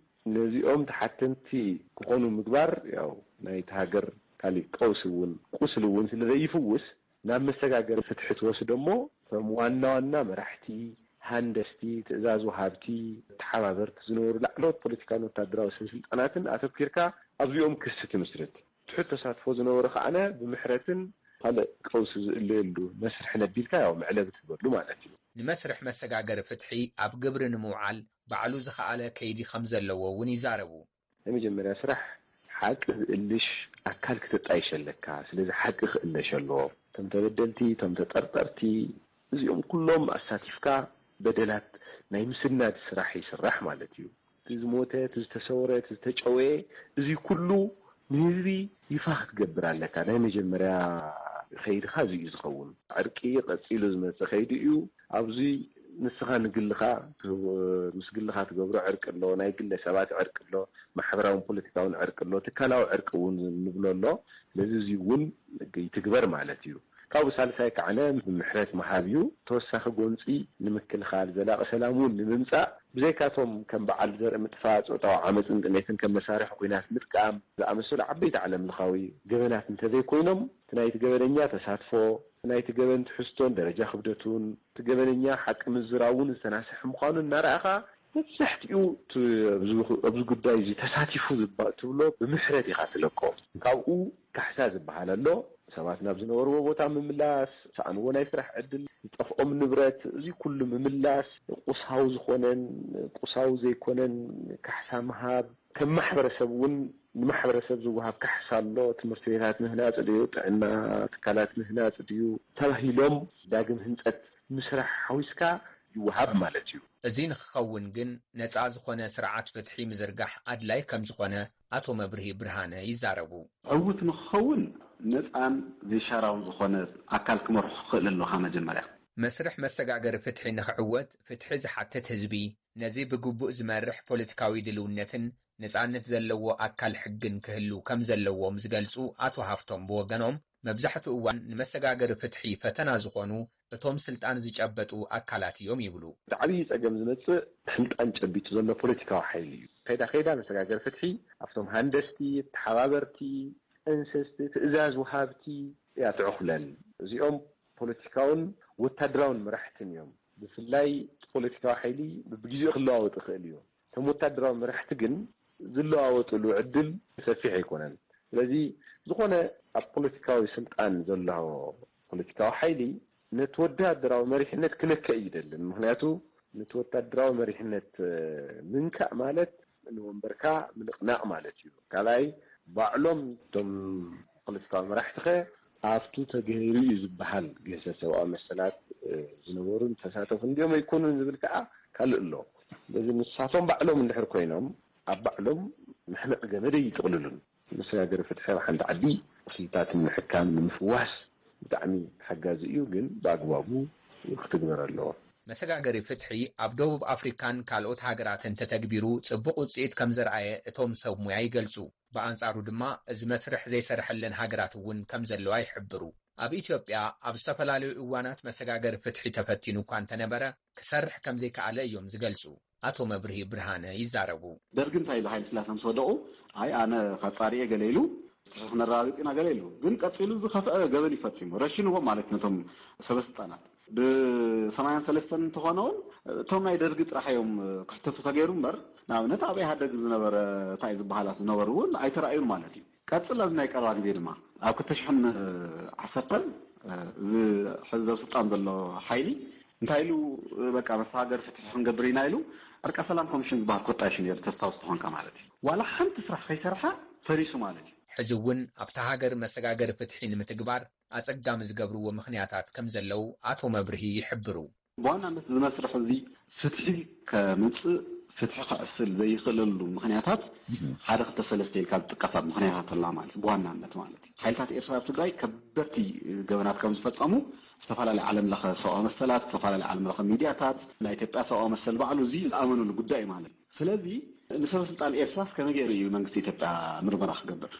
ነዚኦም ተሓተንቲ ክኾኑ ምግባር፣ ያው ናይቲ ሃገር ካሊእ ቀውሲ እውን ቁስሊ እውን ስለ ዘይፍውስ፣ ናብ መሰጋገሪ ፍትሒ ትወስዶ እሞ፣ እቶም ዋና ዋና መራሕቲ፣ ሃንደስቲ፣ ትእዛዝ ወሃብቲ፣ ተሓባበርቲ ዝነበሩ ላዕለዎት ፖለቲካን ወታደራዊ ሰበስልጣናትን ኣተኲርካ ኣብዚኦም ክሲ ትምስርት። ትሑት ተሳትፎ ዝነበሩ ከዓነ ብምሕረትን ካልእ ቀውሲ ዝእለየሉ መስርሕን ኣቢልካ ያው መዕለቢ ትህበሉ ማለት እዩ። ንመስርሕ መሰጋገሪ ፍትሒ ኣብ ግብሪ ንምውዓል ባዕሉ ዝኸኣለ ከይዲ ከም ዘለዎ እውን ይዛረቡ። ናይ መጀመርያ ስራሕ ሓቂ ዝእልሽ ኣካል ክተጣይሽ ኣለካ። ስለዚ ሓቂ ክእለሽ ኣለዎ። እቶም ተበደልቲ፣ እቶም ተጠርጠርቲ፣ እዚኦም ኩሎም ኣሳቲፍካ በደላት ናይ ምስናድ ስራሕ ይስራሕ ማለት እዩ። እቲ ዝሞተ፣ እቲ ዝተሰወረ፣ እቲ ዝተጨወየ፣ እዚ ኩሉ ንህዝቢ ይፋ ክትገብር ኣለካ። ናይ መጀመርያ ከይድኻ እዚ እዩ ዝኸውን። ዕርቂ ቀጺሉ ዝመጽእ ከይዲ እዩ። ኣብዚ ንስኻ ንግልኻ፣ ምስ ግልኻ ትገብሮ ዕርቂ ኣሎ፣ ናይ ግለ ሰባት ዕርቂ ኣሎ፣ ማሕበራውን ፖለቲካውን ዕርቂ ኣሎ፣ ትካላዊ ዕርቂ እውን ንብሎ ኣሎ። ስለዚ እዚ እውን ይትግበር ማለት እዩ። ካብኡ ሳልሳይ ከዓነ ምሕረት ምሃብ እዩ። ተወሳኺ ጎንፂ ንምክልኻል፣ ዘላቒ ሰላም እውን ንምምፃእ፣ ብዘይካቶም ከም በዓል ዘርኢ ምጥፋእ፣ ፆታዊ ዓመፅን ጥሜትን ከም መሳርሒ ኲናት ምጥቃም ዝኣመሰሉ ዓበይቲ ዓለም ለኻዊ ገበናት እንተዘይኮይኖም፣ እቲ ናይቲ ገበነኛ ተሳትፎ፣ እቲ ናይቲ ገበን ትሕዝቶን ደረጃ ክብደቱን፣ እቲ ገበነኛ ሓቂ ምዝራቡን ዝተናስሐ ምዃኑ እናረኣኻ፣ መብዛሕትኡ እቲ ኣብዚ፣ ኣብዚ ጉዳይ እዚ ተሳቲፉ ዝባ-፣ ትብሎ ብምሕረት ኢኻ ትለቆ። ካብኡ ካሕሳ ዝበሃል ኣሎ። ሰባት ናብ ዝነበርዎ ቦታ ምምላስ፣ ዝሰኣንዎ ናይ ስራሕ ዕድል፣ ዝጠፍኦም ንብረት፣ እዚ ኩሉ ምምላስ፣ ቁሳዊ ዝኾነን ቁሳዊ ዘይኮነን ካሕሳ ምሃብ፣ ከም ማሕበረሰብ እውን ንማሕበረሰብ ዝወሃብ ካሕሳ ኣሎ። ትምህርቲ ቤታት ምህናፅ ድዩ፣ ጥዕና ትካላት ምህናፅ ድዩ ተባሂሎም ዳግም ህንፀት ምስራሕ ሓዊስካ ይወሃብ ማለት እዩ። እዚ ንክኸውን ግን ነፃ ዝኾነ ስርዓት ፍትሒ ምዝርጋሕ ኣድላይ ከም ዝኾነ ኣቶ መብርሂ ብርሃነ ይዛረቡ። ዕዉት ንክኸውን ነፃን ዘይሻራውን ዝኾነ ኣካል ክመርሖ ክኽእል ኣለካ መጀመርያ። መስርሕ መሰጋገሪ ፍትሒ ንክዕወት ፍትሒ ዝሓትት ህዝቢ፣ ነዚ ብግቡእ ዝመርሕ ፖለቲካዊ ድልውነትን ነፃነት ዘለዎ ኣካል ሕግን ክህሉ ከም ዘለዎም ዝገልፁ ኣቶ ሃፍቶም ብወገኖም፣ መብዛሕትኡ እዋን ንመሰጋገሪ ፍትሒ ፈተና ዝኾኑ እቶም ስልጣን ዝጨበጡ ኣካላት እዮም ይብሉ። እቲ ዓብዪ ጸገም ዝመጽእ ስልጣን ጨቢጡ ዘሎ ፖለቲካዊ ሓይሊ እዩ። ከይዳ ከይዳ መሰጋገሪ ፍትሒ ኣብቶም ሃንደስቲ፣ ተሓባበርቲ፣ ጠንሰስቲ፣ ትእዛዝ ወሃብቲ እያ ትዕኹለል። እዚኦም ፖለቲካውን ወታደራውን መራሕትን እዮም። ብፍላይ እቲ ፖለቲካዊ ሓይሊ ብግዜኡ ክለዋወጥ ይኽእል እዩ። እቶም ወታደራዊ መራሕቲ ግን ዝለዋወጥሉ ዕድል ሰፊሕ ኣይኮነን። ስለዚ ዝኾነ ኣብ ፖለቲካዊ ስልጣን ዘሎ ፖለቲካዊ ሓይሊ ነቲ ወታደራዊ መሪሕነት ክነክእ ይደልን። ምኽንያቱ ነቲ ወታደራዊ መሪሕነት፣ እ፣ ምንካእ ማለት ንወንበርካ ምንቕናቕ ማለት እዩ። ካልኣይ፣ ባዕሎም እቶም ፖለቲካዊ መራሕትኸ ኣብቱ ተገይሩ እዩ ዝበሃል ግህሰት ሰብኣዊ መሰላት፣ እ፣ ዝነበሩን ተሳተፉ እንዲኦም ኣይኮኑን ዝብል ከኣ ካልእ ኣሎ። ስለዚ ንሳቶም ባዕሎም እንድሕር ኮይኖም ኣብ ባዕሎም መሕነቒ ገመድ ኣይጥቕልሉን። መሰጋገሪ ፍትሒ ኣብ ሓንቲ ዓዲ ቁስልታት ንምሕካም፣ ንምፍዋስ ብጣዕሚ ሓጋዚ እዩ፣ ግን ብኣግባቡ ክትግበር ኣለዎ። መሰጋገሪ ፍትሒ ኣብ ደቡብ ኣፍሪካን ካልኦት ሃገራትን ተተግቢሩ ጽቡቕ ውጽኢት ከም ዘርኣየ እቶም ሰብ ሙያ ይገልጹ። ብኣንጻሩ ድማ እዚ መስርሕ ዘይሰርሐለን ሃገራት እውን ከም ዘለዋ ይሕብሩ። ኣብ ኢትዮጵያ ኣብ ዝተፈላለዩ እዋናት መሰጋገሪ ፍትሒ ተፈቲኑ እኳ እንተነበረ፣ ክሰርሕ ከም ዘይከኣለ እዮም ዝገልጹ ኣቶ መብርሂ ብርሃነ ይዛረቡ። ደርጊ እንታይ ኢሉ፣ ሃይለ ስላሴ ምስ ወደቑ፣ ኣይ ኣነ ካብ ጻሪኤ ገለ ኢሉ፣ ፍትሒ ክነረጋግጽ ኢና ገለ ኢሉ። ግን ቀጺሉ ዝኸፍአ ገበን ይፈጺሙ፣ ረሽንዎም ማለት ነቶም ሰበስልጣናት። ብ83 እንተኾነ እውን እቶም ናይ ደርጊ ጥራሕ እዮም ክሕተቱ ተገይሩ እምበር፣ ንኣብነት ኣብ ኢህኣደግ ዝነበረ እንታይ ዝበሃላት ዝነበሩ እውን ኣይተራእዩን ማለት እዩ። ቀጽል ኣብዚ ናይ ቀረባ ግዜ ድማ ኣብ ክልተ ሽሕን ዓሰርተን እዚ ሕዚ ዘብ ስልጣን ዘሎ ሓይሊ እንታይ ኢሉ፣ በቃ መሰጋገሪ ፍትሒ ክንገብር ኢና ኢሉ፣ ዕርቀ ሰላም ኮሚሽን ዝበሃል ኮጣሽ ነይሩ፣ ተስታውስ ተኾንካ ማለት እዩ። ዋላ ሓንቲ ስራሕ ከይሰርሐ ፈሪሱ ማለት እዩ። ሕዚ እውን ኣብታ ሃገር መሰጋገሪ ፍትሒ ንምትግባር ኣጸጋሚ ዝገብርዎ ምኽንያታት ከም ዘለዉ ኣቶ መብርሂ ይሕብሩ። ብዋናነት እዚ መስርሕ እዚ ፍትሒ ከምጽእ፣ ፍትሒ ክዕስል ዘይኽእለሉ ምኽንያታት ሓደ ክልተ ሰለስተ ኢልካ ዝጥቀሳ ምኽንያታት ኣላ ማለት እዩ። ብዋናነት ማለት እዩ፣ ሓይልታት ኤርትራ ኣብ ትግራይ ከበድቲ ገበናት ከም ዝፈጸሙ ዝተፈላለዩ ዓለም ለኸ ሰብኣዊ መሰላት፣ ዝተፈላለዩ ዓለም ለኸ ሚድያታት፣ ናይ ኢትዮጵያ ሰብኣዊ መሰል ባዕሉ እዚ ዝኣመኑሉ ጉዳይ እዩ ማለት እዩ። ስለዚ ንሰበ ስልጣን ኤርትራስ ከመይ ገይሩ እዩ መንግስቲ ኢትዮጵያ ምርመራ ክገብር?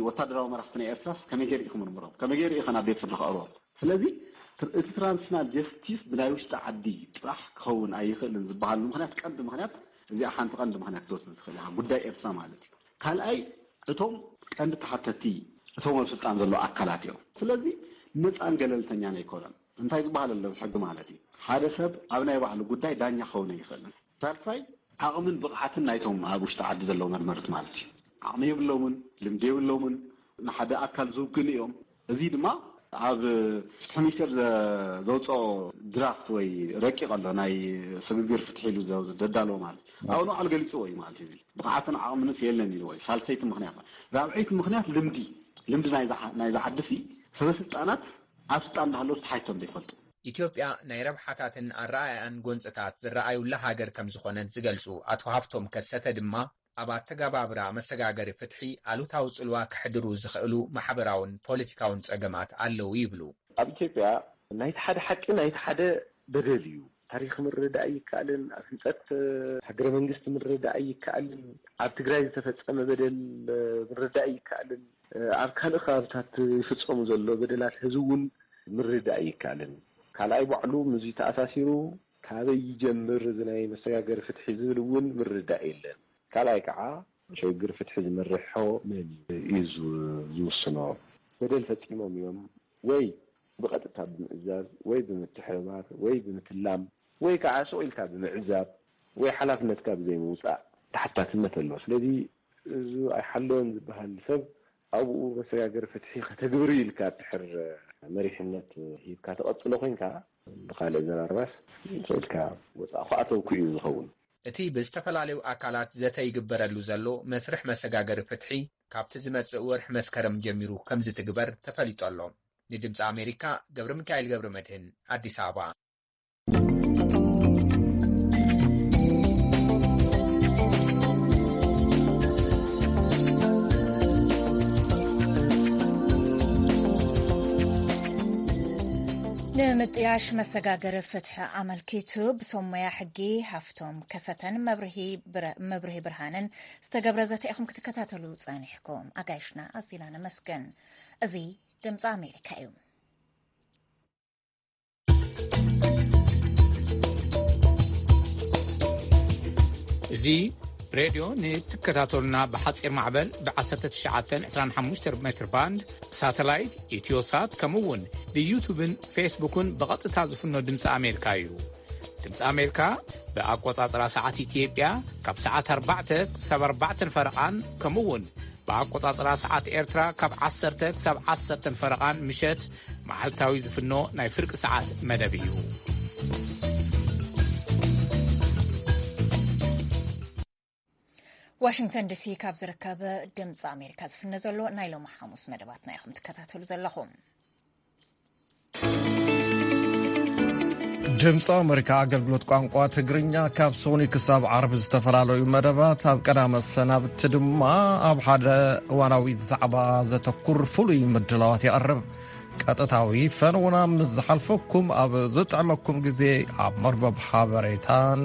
ወታደራዊ መራሕቲ ናይ ኤርትራስ ከመይ ገይሩ እዩ ክምርምሮም? ከመይ ገይሩ እዩ ከ ናብ ቤት ፍርዲ ከቕርቦም? ስለዚ እቲ ትራንዚሽናል ጀስቲስ ብናይ ውሽጢ ዓዲ ጥራሕ ክኸውን ኣይኽእልን ዝበሃሉ ምኽንያት፣ ቀንዲ ምኽንያት፣ እዚኣ ሓንቲ ቀንዲ ምኽንያት ክትወስድ ዝኽእል ኢኻ፣ ጉዳይ ኤርትራ ማለት እዩ። ካልኣይ፣ እቶም ቀንዲ ተሓተቲ እቶም ኣብ ስልጣን ዘለዉ ኣካላት እዮም። ስለዚ ነፃን ገለልተኛን ኣይኮነን። እንታይ ዝበሃል ኣሎ ሕጊ ማለት እዩ፣ ሓደ ሰብ ኣብ ናይ ባዕሉ ጉዳይ ዳኛ ክኸውን ኣይኽእልን። ሳልሳይ፣ ዓቕምን ብቕዓትን ናይቶም ኣብ ውሽጢ ዓዲ ዘለዉ መርመርቲ ማለት እዩ። ዓቕሚ የብሎምን፣ ልምዲ የብሎምን፣ ንሓደ ኣካል ዝውግኑ እዮም። እዚ ድማ ኣብ ፍትሒ ሚኒስቴር ዘ-፣ ዘውፅኦ ድራፍት ወይ ረቂቕ ኣሎ፣ ናይ ስግግር ፍትሒ ኢሉ ዘ-፣ ዘዳለዎ ማለት እዩ። ኣብኡ ንባዕሉ ገሊፅዎ እዩ ማለት እዩ። እዚ ብቕዓትን ዓቕምንስ የለን ኢልዎ እዩ። ሳልሰይቲ ምኽንያት ማለት። ራብዐይቲ ምኽንያት ልምዲ፣ ልምዲ ናይዛ ዓ-፣ ናይዛ ዓዲ ሲ ሰበስልጣናት ኣብ ስልጣን እንዳሃለዉ ተሓይቶም ዘይፈልጡ። ኢትዮጵያ ናይ ረብሓታትን ኣረኣእያን ጎንፅታት ዝረኣዩላ ሃገር ከም ዝኾነት ዝገልፁ ኣቶ ሃፍቶም ከሰተ ድማ፣ ኣብ ኣተገባብራ መሰጋገሪ ፍትሒ ኣሉታዊ ጽልዋ ከሕድሩ ዝኽእሉ ማሕበራውን ፖለቲካውን ጸገማት ኣለዉ ይብሉ። ኣብ ኢትዮጵያ ናይቲ ሓደ ሓቂ ናይቲ ሓደ በደል እዩ። ታሪኽ ምርዳእ ኣይከኣልን፣ ኣብ ህንጸት ሃገረ መንግስቲ ምርዳእ ኣይከኣልን፣ ኣብ ትግራይ ዝተፈጸመ በደል ምርዳእ ኣይከኣልን፣ ኣብ ካልእ ከባብታት ዝፍጸሙ ዘሎ በደላት ሕዚ እውን ምርዳእ ኣይከኣልን። ካልኣይ ባዕሉ ምስዚ ተኣሳሲሩ ካበይ ይጀምር እዚ ናይ መሰጋገሪ ፍትሒ ዝብል እውን ምርዳእ የለን። ካልኣይ ከዓ ሽግር ፍትሒ ዝመርሖ መን እዩ እዩ ዝ-፣ ዝውስኖ። በደል ፈፂሞም እዮም ወይ ብቐጥታ ብምእዛዝ ወይ ብምትሕብባር ወይ ብምትላም ወይ ከዓ ስቕ ኢልካ ብምዕዛብ ወይ ሓላፍነትካ ብዘይምውፃእ ተሓታትነት ኣለዎ። ስለዚ እዚ ኣይሓለወን ዝበሃል ሰብ ኣብኡ መሰጋገሪ ፍትሒ ከተግብር ኢልካ ድሕር መሪሕነት ሂብካ ተቐፅሎ ኮይንካ ብካልእ ዘራርባስ ስቕ ኢልካ ወፃእኹ ኣተውኩ እዩ ዝኸውን። እቲ ብዝተፈላለዩ ኣካላት ዘተ ይግበረሉ ዘሎ መስርሕ መሰጋገሪ ፍትሒ ካብቲ ዝመጽእ ወርሒ መስከረም ጀሚሩ ከም ዝትግበር ተፈሊጡ ኣሎ። ንድምጺ ኣሜሪካ ገብረ ሚካኤል ገብረ መድህን ኣዲስ ኣበባ። ንምጥያሽ መሰጋገሪ ፍትሒ ኣመልኪቱ ብሰብ ሞያ ሕጊ ሃፍቶም ከሰተን መብርሂ ብረ-፣ መብርሂ ብርሃንን ዝተገብረ ዘተ ኢኹም ክትከታተሉ ጸኒሕኩም። ኣጋይሽና ኣዚና ነመስግን። እዚ ድምጺ ኣሜሪካ እዩ። እዚ ሬድዮ ንትከታተሉና ብሓጺር ማዕበል ብ19 25 ሜትር ባንድ ብሳተላይት ኢትዮሳት ከምኡ እውን ብዩቱብን ፌስቡክን ብቐጥታ ዝፍኖ ድምፂ ኣሜሪካ እዩ። ድምፂ ኣሜሪካ ብኣቆጻጽራ ሰዓት ኢትዮጵያ ካብ ሰዓት ኣርባዕተ ክሳብ ኣርባዕተን ፈረቓን ከምኡ እውን ብኣቆጻጽራ ሰዓት ኤርትራ ካብ ዓሰርተ ክሳብ ዓሰርተን ፈረቓን ምሸት መዓልታዊ ዝፍኖ ናይ ፍርቂ ሰዓት መደብ እዩ። ዋሽንግተን ዲሲ ካብ ዝርከብ ድምፂ ኣሜሪካ ዝፍነ ዘሎ ናይ ሎሚ ሓሙስ መደባትና ኢኹም ትከታተሉ ዘለኹም። ድምፂ ኣሜሪካ ኣገልግሎት ቋንቋ ትግርኛ ካብ ሶኒ ክሳብ ዓርቢ ዝተፈላለዩ መደባት፣ ኣብ ቀዳመ ሰናብቲ ድማ ኣብ ሓደ እዋናዊ ዛዕባ ዘተኩር ፍሉይ ምድላዋት የቕርብ። ቀጥታዊ ፈነውና ምስ ዝሓልፈኩም ኣብ ዝጥዕመኩም ግዜ ኣብ መርበብ ሓበሬታን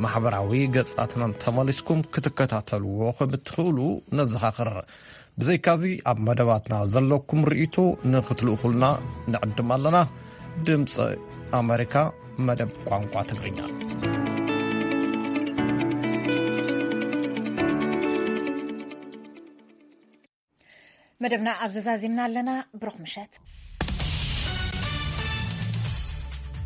ማሕበራዊ ገጻትናን ተመሊስኩም ክትከታተልዎ ከም እትኽእሉ ነዘኻኽር። ብዘይካዚ ኣብ መደባትና ዘለኩም ርእይቶ ንኽትልእኹልና ንዕድም ኣለና። ድምፂ ኣሜሪካ መደብ ቋንቋ ትግርኛ። መደብና ኣብ ዘዛዚምና ኣለና። ብሩኽ ምሸት።